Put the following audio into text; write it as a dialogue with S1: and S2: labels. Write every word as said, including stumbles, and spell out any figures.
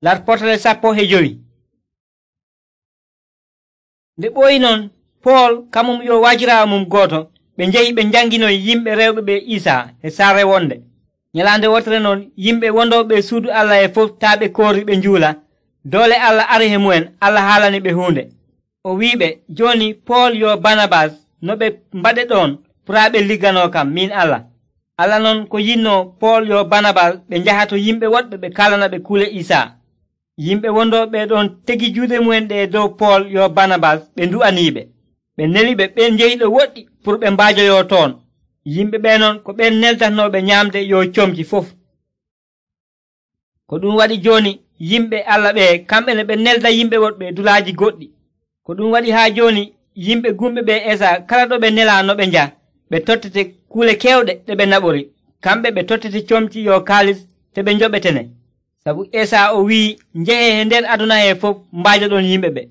S1: Larpotere sappo e jowi. Nde ɓooyi non, Pool kamum yo wajiraawo mum gooto ɓe njehi ɓe njanginoyi yimɓe rewɓe ɓe Isaa e saare wonde. Nyalaande wotere non yimɓe wondooɓe suudu Allah e fof taa ɓe koori ɓe njuula, doole Allah ari e mu'en. Allah haalani ɓe huunde. O wi'iɓe, jooni Pool yo Banabas no ɓe mbaɗe ɗon puraa ɓe ligganoo kam min Allah. Allah non ko yinnoo Pool yo Banabas ɓe njaha to yimɓe woɗɓe ɓe kaalana ɓe kuule Isaa. Yimɓe wondooɓe ɗon tegi juuɗe mu'en ɗe dow Pool yo Banabas ɓe ndu'aniiɓe. Ɓe neliɓe ɓen njehi ɗo woɗɗi pour ɓe mbaajoyoo toon. Yimɓe ɓee non ko ɓen neldatnooɓe nyaamde yo comci fof. Ko ɗum waɗi jooni yimɓe Allah ɓee kamɓe ne ɓe nelda yimɓe woɗɓe dulaaji goɗɗi. Ko ɗum waɗi haa jooni yimɓe gumɓe ɓe Esaa kala ɗo ɓe nelaa no ɓe njaha, ɓe tottete kuule keewɗe ɗe ɓe naɓori. Kamɓe ɓe tottete comci yo kaalis te ɓe njoɓetene. Sabu Esaa o wi'i njehee nder aduna hee fof mbaajoɗon yimɓe ɓe.